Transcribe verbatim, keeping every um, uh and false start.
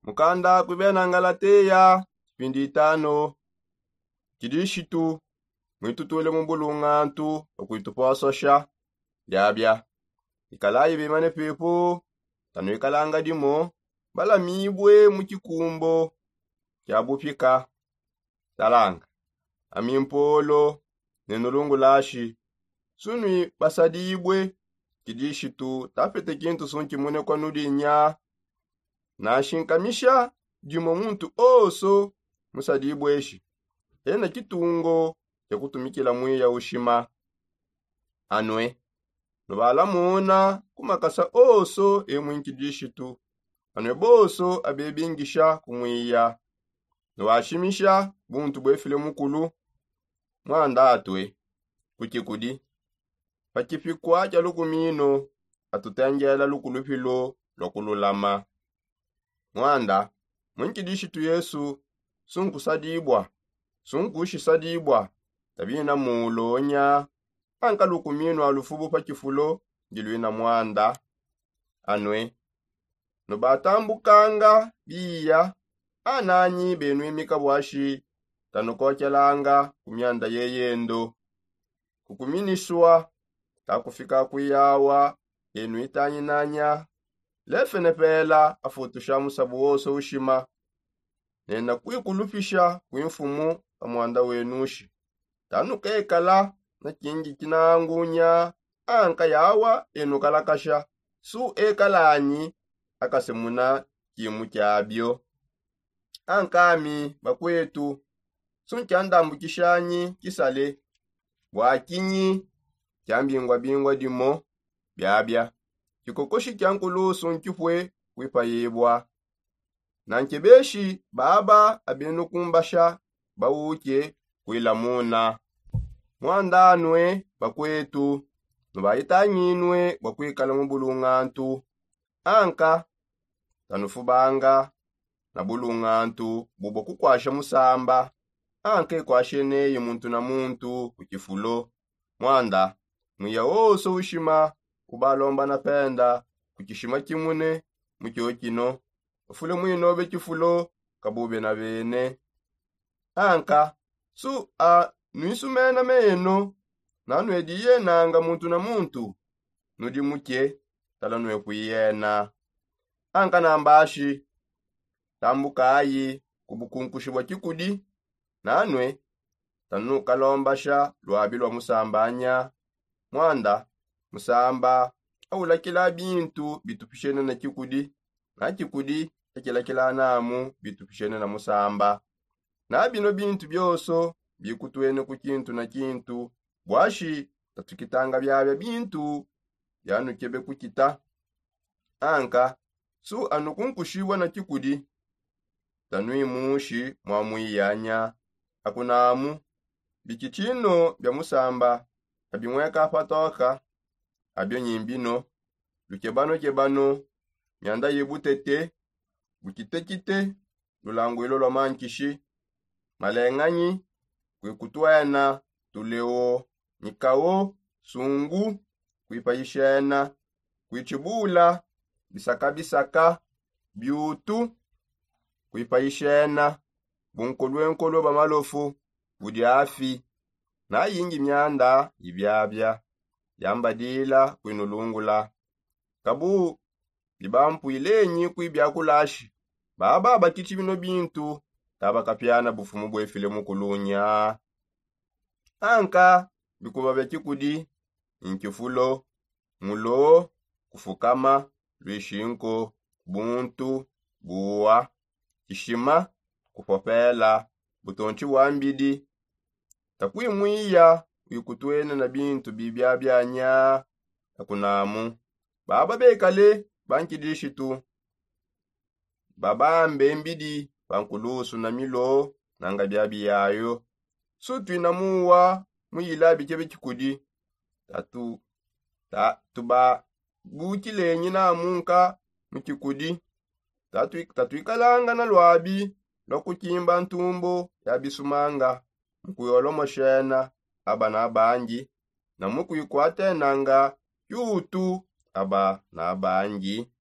Mukanda kuibena ngalateya kipindi itano. Kidishitu mwitutule mu bulungantu okuitupososha biabia. Ikalayi bimane pepu tanuikalanga dimo balamibue mu kikumbo kia bupika. Talanga ami mpolo ne nulungulashi sunui basadibue. Kidishitu tapete kintu sunkimune kwa nudinya. Nashinkamisha dimo muntu oso musadibue eshi ena kitungo kia kutumikila mwiya ushima. Anue nubalamona ku makasa oso e mwinkidishitu. Anue boso abebingisha kumwiya nuwashimisha buntu buefile mukulu. Mwanda atue kukikudi pa kipikua kia lukumino atutengela lukulupilu lua kululama. Mwanda mwinkidishitu yesu sunkusadibua sunkushisadibua tabina mulonya. Anka lukumino a lufubu pa kifulo ndiluina mwanda. Anue nubatambukanga biya ananyi benuimika buashi tanukokelanga ku mianda yeyendo. Kukuminisua takufika kuyawa enuitanyinanya. Lefene pela afutusha musabu wose ushima nena kuikulupisha kuimfumu pa mwanda wenushi. Tanukekala na kingi kinangunya anka yawa enukalakasha su ekalanyi akasemuna kimu kiabio. Ankami bakuetu sunkiandambukishanyi kisale bua kinyi kiambingwabingwa dimo biabia kikokoshi kia nkulusu nkipue kuipayibua. Nankebeshi baba abenukumbasha bauke kuilamuna. Mwandanue bakuetu nubayitanginue bua kuikala mu bulungantu. Anka tanufubanga na bulungantu bubua kukuasha musamba. Anka ekuasheneye muntu na muntu ku kifulo. Mwanda mwiya wonso ushima ubalombana penda ku kishima kimune mu kiokino bafule mwinobe kifulo kabube na bene. Anka su a nuisumena meno nanuediye nanga muntu na muntu nudi muke tala nuekuiyena. Anka nambashi tambukayi ku bukunkushi bua kikudi nanue tanukalombasha luabi lua musambanya. Mwanda musamba aulakila bintu bitupishene na kikudi na kikudi akilakila namu bitupishene na musamba. Na bino bintu bionso bikutuene ku kintu na kintu buashi tatukitanga biabia bintu bianukebe kukita. Anka su anukunkushibua na kikudi tanuimushi mua muiyanya. Akunamu bikitshino bia musamba abimueka patoka abio nyimbino lukebanokebano mianda ye butete bukitekite lulanguilo lua mankishi malenganyi kuikutuena tuleo nyikawo sungu kuipayishena kuitshibula bisakabisaka biutu kuipayishena bunkolwenkolwe bua malofu budi afi. Na yingi mianda ibiabia yambadila kuinulungula kabu bibampuilenyi kuibiakulashi baba bakitshi bino bintu tabakapiana bufumu buefile mukulunya. Anka bikuba bia kikudi nkifulo mulo kufukama luishinko buntu buwa kishima kupopela butontshi bua mbidi. Takuimwiya uikutuene na bintu bibia bianya. Akunamu baba bekale bankidishitu babambe mbidi pa nkulusu na milo nanga biabiyayo. Sutuina muwa muyila bikebe kikudi tatu tubabukilenyi namunka mu kikudi. Tatuikalanga na luabi lua kukimba ntumbu ya bisumanga mu kuyolomoshena aba na bangi na mu kuikuatenanga kiutu aba na bangi.